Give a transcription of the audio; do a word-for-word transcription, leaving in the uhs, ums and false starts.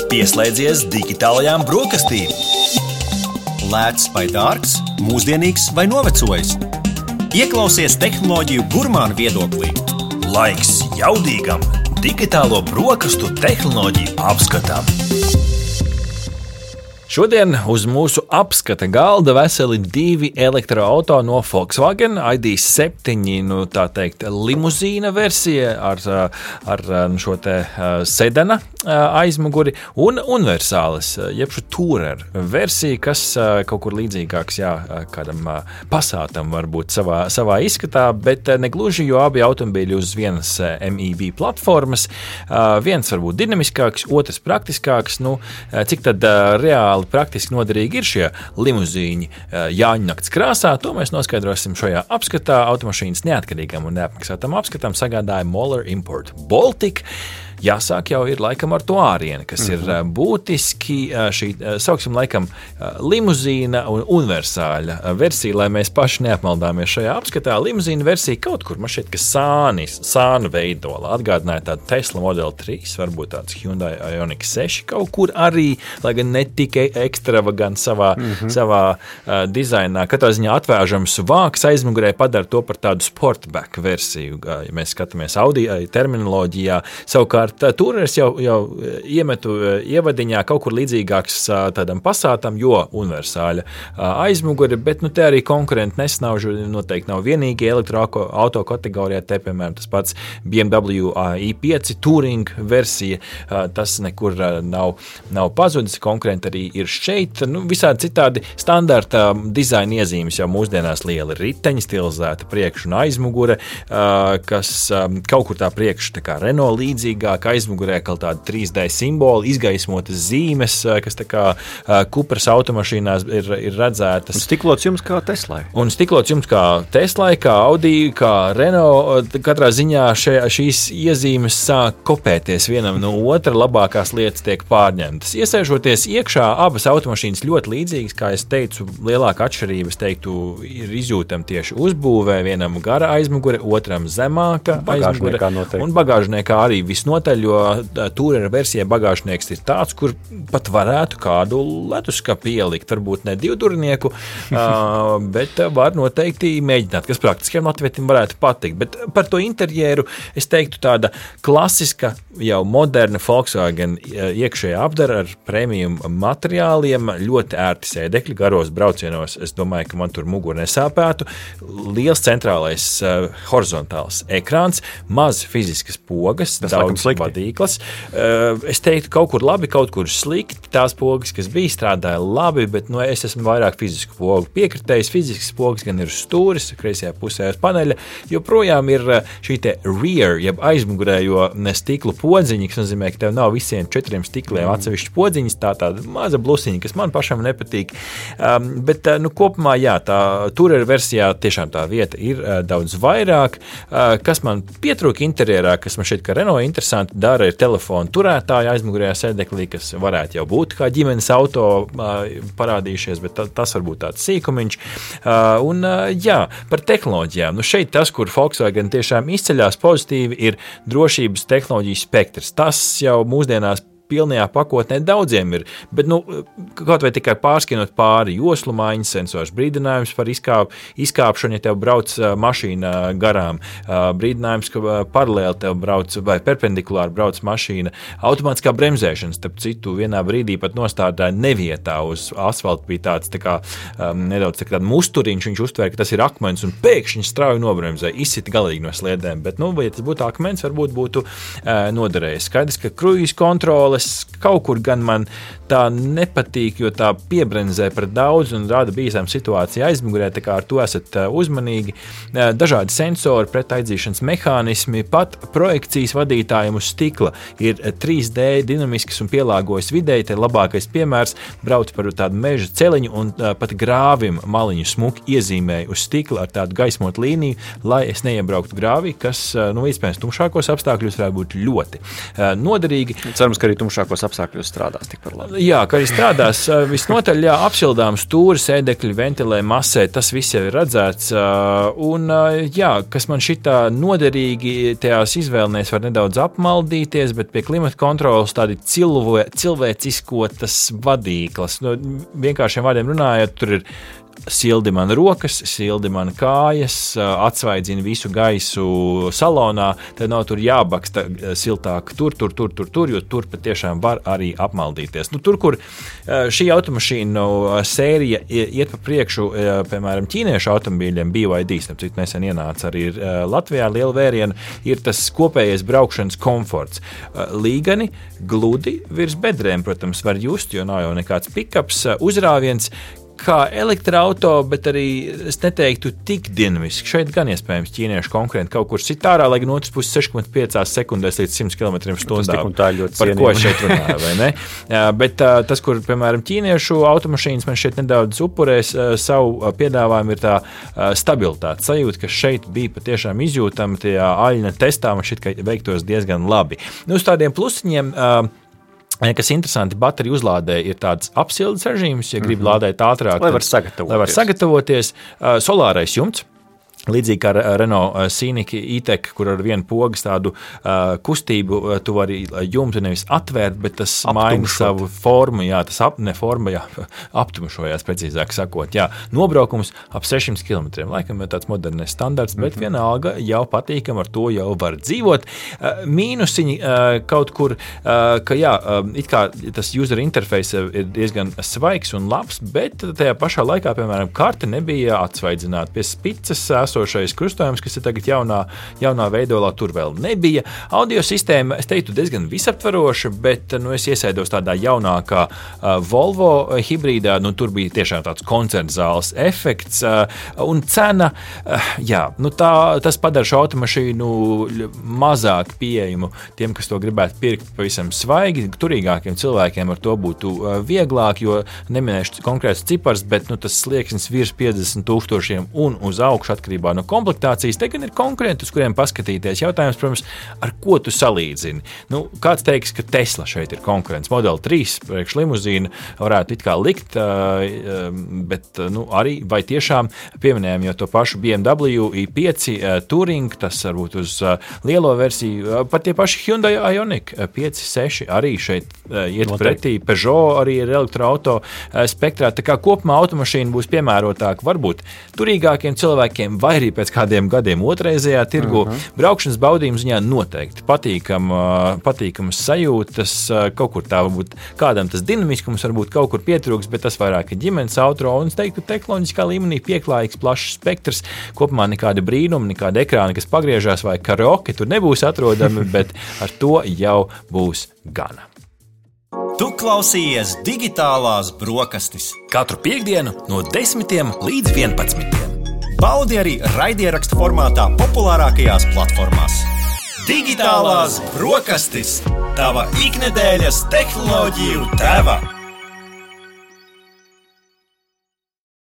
Pieslēdzies digitālajām brokastīm. Lēts vai dārgs, mūsdienīgs vai novecojis. Ieklausies tehnoloģiju gurmānu viedoklī. Laiks jaudīgam digitālo brokastu tehnoloģiju apskatam. Šodien uz mūsu apskata galda veseli divi elektroauto no Volkswagen, I D septiņi, nu tā teikt, limuzīna versija ar, ar šo te sedana aizmuguri un universālis, jeb šo tourer versija, kas kaut kur līdzīgāks, jā, kādam Passatam varbūt savā, savā izskatā, bet negluži, jo abi automobīļi uz vienas M I B platformas, viens varbūt dinamiskāks, otrs praktiskāks, nu, cik tad reāli praktiski noderīgi ir šie limuzīņi Jāņu nakts krāsā, to mēs noskaidrosim šajā apskatā. Automašīnas neatkarīgam un neapmaksātam apskatam sagādāja Moller Import Baltic. Jāsāk jau ir laikam ar to ārieni, kas ir mm-hmm. būtiski šī, sauksim laikam, limuzīna un universāļa versija, lai mēs paši neapmaldāmies šajā apskatā. Limuzīna versija kaut kur, man šķiet, ka sānis, sānu veidola, atgādināja tādu Tesla Model trīs, varbūt tāds Hyundai Ioniq seši kaut kur arī, lai gan ne tikai ekstravagant savā, mm-hmm. savā uh, dizainā. Katrā ziņā atvēžams vāks aizmugurē padara to par tādu sportback versiju, ja mēs skatāmies Audi terminoloģijā. Savukārt Tourers jau, jau iemetu ievadiņā kaut kur līdzīgāks tādam Passatam, jo universāļa aizmuguri, bet nu te arī konkurenti nesnaužu, noteikti nav vienīgi elektroauto kategorijā, te piemēram tas pats B M W i pieci Touring versija, tas nekur nav, nav pazudis, konkurenti arī ir šeit, nu visādi citādi standarta dizaina iezīmes jau mūsdienās liela riteņi, stilizēta priekš un aizmugure, kas kaut kur tā priekš tā kā Renault līdzīgā, ka aizmugurē kaut tāda trīs D simboli, izgaismotas zīmes, kas tā kā Cupras automašīnās ir, ir redzētas. Un stiklots jums kā Teslai. Un stiklots jums kā Teslai, kā Audi, kā Renault. Katrā ziņā še, šīs iezīmes sāk kopēties vienam no otra, labākās lietas tiek pārņemtas. Iesēžoties iekšā, abas automašīnas ļoti līdzīgas, kā es teicu, lielāka atšķirība, es teiktu, ir izjūtama tieši uzbūvē, vienam gara aizmugure, otram zemāka aizmugure. Un bagāžniekā arī visnotaļ, jo Tourer versijai bagāžnieks ir tāds, kur pat varētu kādu leduskapi ielikt, varbūt ne divdurnieku, bet var noteikti mēģināt, kas praktiskiem latvietim varētu patikt. Bet par to interjeru es teiktu tāda klasiska, jau moderna Volkswagen iekšējā apdara ar premium materiāliem, ļoti ērti sēdekļi, garos braucienos, es domāju, ka man tur muguru nesāpētu, liels centrālais horizontāls ekrāns, maz fiziskas pogas, tas daudz vadīklas. Es teiktu, kaut kur labi, kaut kur slikti. Tās pogas, kas bija, strādāja labi, bet nu, es esmu vairāk fizisku pogu piekritējis. Fiziskas pogas gan ir stūris, kreisajā pusē uz paneļa, joprojām ir šī te rear, jeb aizmugurējo stiklu podziņa, kas nozīmē, ka tev nav visiem četriem stikliem atsevišķi podziņas, tā tāda maza blusiņa, kas man pašam nepatīk. Um, bet, nu, kopumā, jā, tā Tourer versijā tiešām tā vieta ir uh, daudz vairāk. Uh, kas man pietrūka interjerā, kas man šeit, ka Renault interesanti dara, ir telefonu turētāja aizmugurējā sēdeklī, kas varētu jau būt kā ģimenes auto uh, parādījušies, bet tas varbūt tāds sīkumiņš. Uh, un uh, jā, par tehnoloģijām. Nu šeit tas, kur Volkswagen tiešām izceļās pozitīvi, ir drošības tehnoloģiju spektrs. Tas jau mūsdienās pilnajā pakotnē daudziem ir, bet nu, kaut vai tikai pārskienot pāri joslu maiņas, sensors brīdinājums par izkāp, izkāpšanu, ja tev brauc mašīna garām, brīdinājums, ka paralēli tev brauc vai perpendikulāri brauc mašīna, automātiskā bremzēšana, starp citu, vienā brīdī pat nostādāja nevietā uz asfalta, bija tāds tā kā um, nedaudz tā kā musturiņš, viņš uztvēra, ka tas ir akmens un pēkšņi strauji nobremzē, izsita galīgi no sliedēm, bet, nu, ja tas būtu akmens, varbūt būtu uh, noderējis. Skaidrs, ka kruīz kontrole kaut kur gan man tā nepatīk, jo tā piebrenzē par daudz un rada bīstam situāciju aizmugurē, tā kā ar to esat uzmanīgi. Dažādi sensori, pretaizdzīšanas mehānismi, pat projekcijas vadītājiem uz stikla ir trīs D dinamisks un pielāgojas videi, te labākais piemērs brauc par tādu meža celiņu un pat grāvim maliņu smuki iezīmēja uz stikla ar tādu gaismotu līniju, lai es neiebrauktu grāvī, kas, nu, iespējams, tumšākos apstākļos varētu būt ļoti noderīgi. Cerams, ka arī sarežģītākos apstākļos strādās tikpat labi. Jā, ka arī strādās visnotaļ, jā, apšildām stūri, sēdekļi, ventilē, masē, tas viss jau ir redzēts. Un, jā, kas man šitā noderīgi tajās izvēlēs var nedaudz apmaldīties, bet pie klimata kontrolas tādi cilvē, cilvēciskotas vadīklas. No, vienkāršiem vārdiem runājot, tur ir sildi man rokas, sildi man kājas, atsvaidzina visu gaisu salonā, tad nav tur jābaksta siltāk tur, tur, tur, tur, tur, jo tur patiešām var arī apmaldīties. Nu, tur, kur šī automašīnu sērija iet pa priekšu, piemēram, ķīniešu automobīļiem, B Y D, starp citu nesen ienāca arī Latvijā liela vēriena, ir tas kopējais braukšanas komforts. Līgani, gludi virs bedrēm, protams, var just, jo nav jau nekāds pikaps, uzrāviens, kā elektroauto, bet arī es neteiktu tik dinamiski. Šeit gan iespējams ķīniešu konkurenti kaut kur sit ārā, lai gan otrs puses seši komats pieci sekundēs līdz simt kilometriem stundā. Par ko šeit runāja, vai ne? Bet tas, kur, piemēram, ķīniešu automašīnas man šeit nedaudz upurēs savu piedāvājumu, ir tā stabilitāte. Sajūta, ka šeit bija patiešām izjūtama tajā aļņa testā, man šķiet, ka veiktos diezgan labi. Nu, uz tādiem plusiņiem, kas interesanti, bateriju uzlādē ir tāds apsildes režīms, ja grib mm-hmm. lādēt ātrāk. Lai var sagatavoties. Lai var sagatavoties. Solārais jumts. Līdzīgi kā Renault Scenic E-Tech, kur ar vienu pogas tādu uh, kustību uh, tu vari jumtu nevis atvērt, bet tas maina savu formu, jā, tas ap, ne forma, jā, aptumšojās, precīzāk sakot, jā, nobraukums ap sešsimt kilometriem, laikam ir tāds modernais standarts, bet mm-hmm. vienalga jau patīkam, ar to jau var dzīvot. Uh, mīnusiņi uh, kaut kur, uh, ka jā, uh, it kā tas user interface ir diezgan svaigs un labs, bet tajā pašā laikā, piemēram, karte nebija atsvaidzināta pie spicas, esošais krustojums, kas ir tagad jaunā, jaunā veidolā, tur vēl nebija. Audio sistēma, es teiktu, diezgan visaptvaroša, bet nu, es iesēdos tādā jaunākā uh, Volvo hibrīdā, nu, tur bija tiešām tāds koncerta zāles efekts, uh, un cena, uh, jā, nu, tā, tas padara šo automašīnu mazāk pieejamu tiem, kas to gribētu pirkt pavisam svaigi, turīgākiem cilvēkiem ar to būtu uh, vieglāk, jo neminēšu konkrēts cipars, bet nu, tas slieksnis virs piecdesmit tūkstošiem un uz augšu atkarībā no komplektācijas, te gan ir konkurenti, uz kuriem paskatīties. Jautājums, protams, ar ko tu salīdzini? Nu, kāds teiks, ka Tesla šeit ir konkurents. Model trīs priekš limuzīna varētu it kā likt, bet nu, arī vai tiešām pieminējam jau to pašu B M W i pieci Touring, tas varbūt uz lielo versiju, pat tie paši Hyundai Ioniq pieci seši arī šeit iet Noteikti. Pretī. Peugeot arī ir elektroauto spektrā. Tā kā kopumā automašīna būs piemērotāka varbūt turīgākiem cilvēkiem vai arī pēc kādiem gadiem otrreizējā tirgu. Uh-huh. Braukšanas baudījuma ziņā noteikti patīkam, patīkamas sajūtas, kaut kur tā varbūt kādam tas dinamiskums varbūt kaut kur pietrūks, bet tas vairāk ir ģimenes auto, un es teiktu, tehnoloģiskā līmenī pieklājīgs, plašs spektrs, kopumā nekāda brīnuma, nekāda ekrāna, kas pagriežās vai karaoke tur nebūs atrodami, bet ar to jau būs gana. Tu klausījies Digitālās brokastis katru piektdienu no desmitiem līdz vienpadsmitiem. Baudi arī raidierakstu formātā populārākajās platformās. Digitālās brokastis – tava iknedēļas tehnoloģiju deva.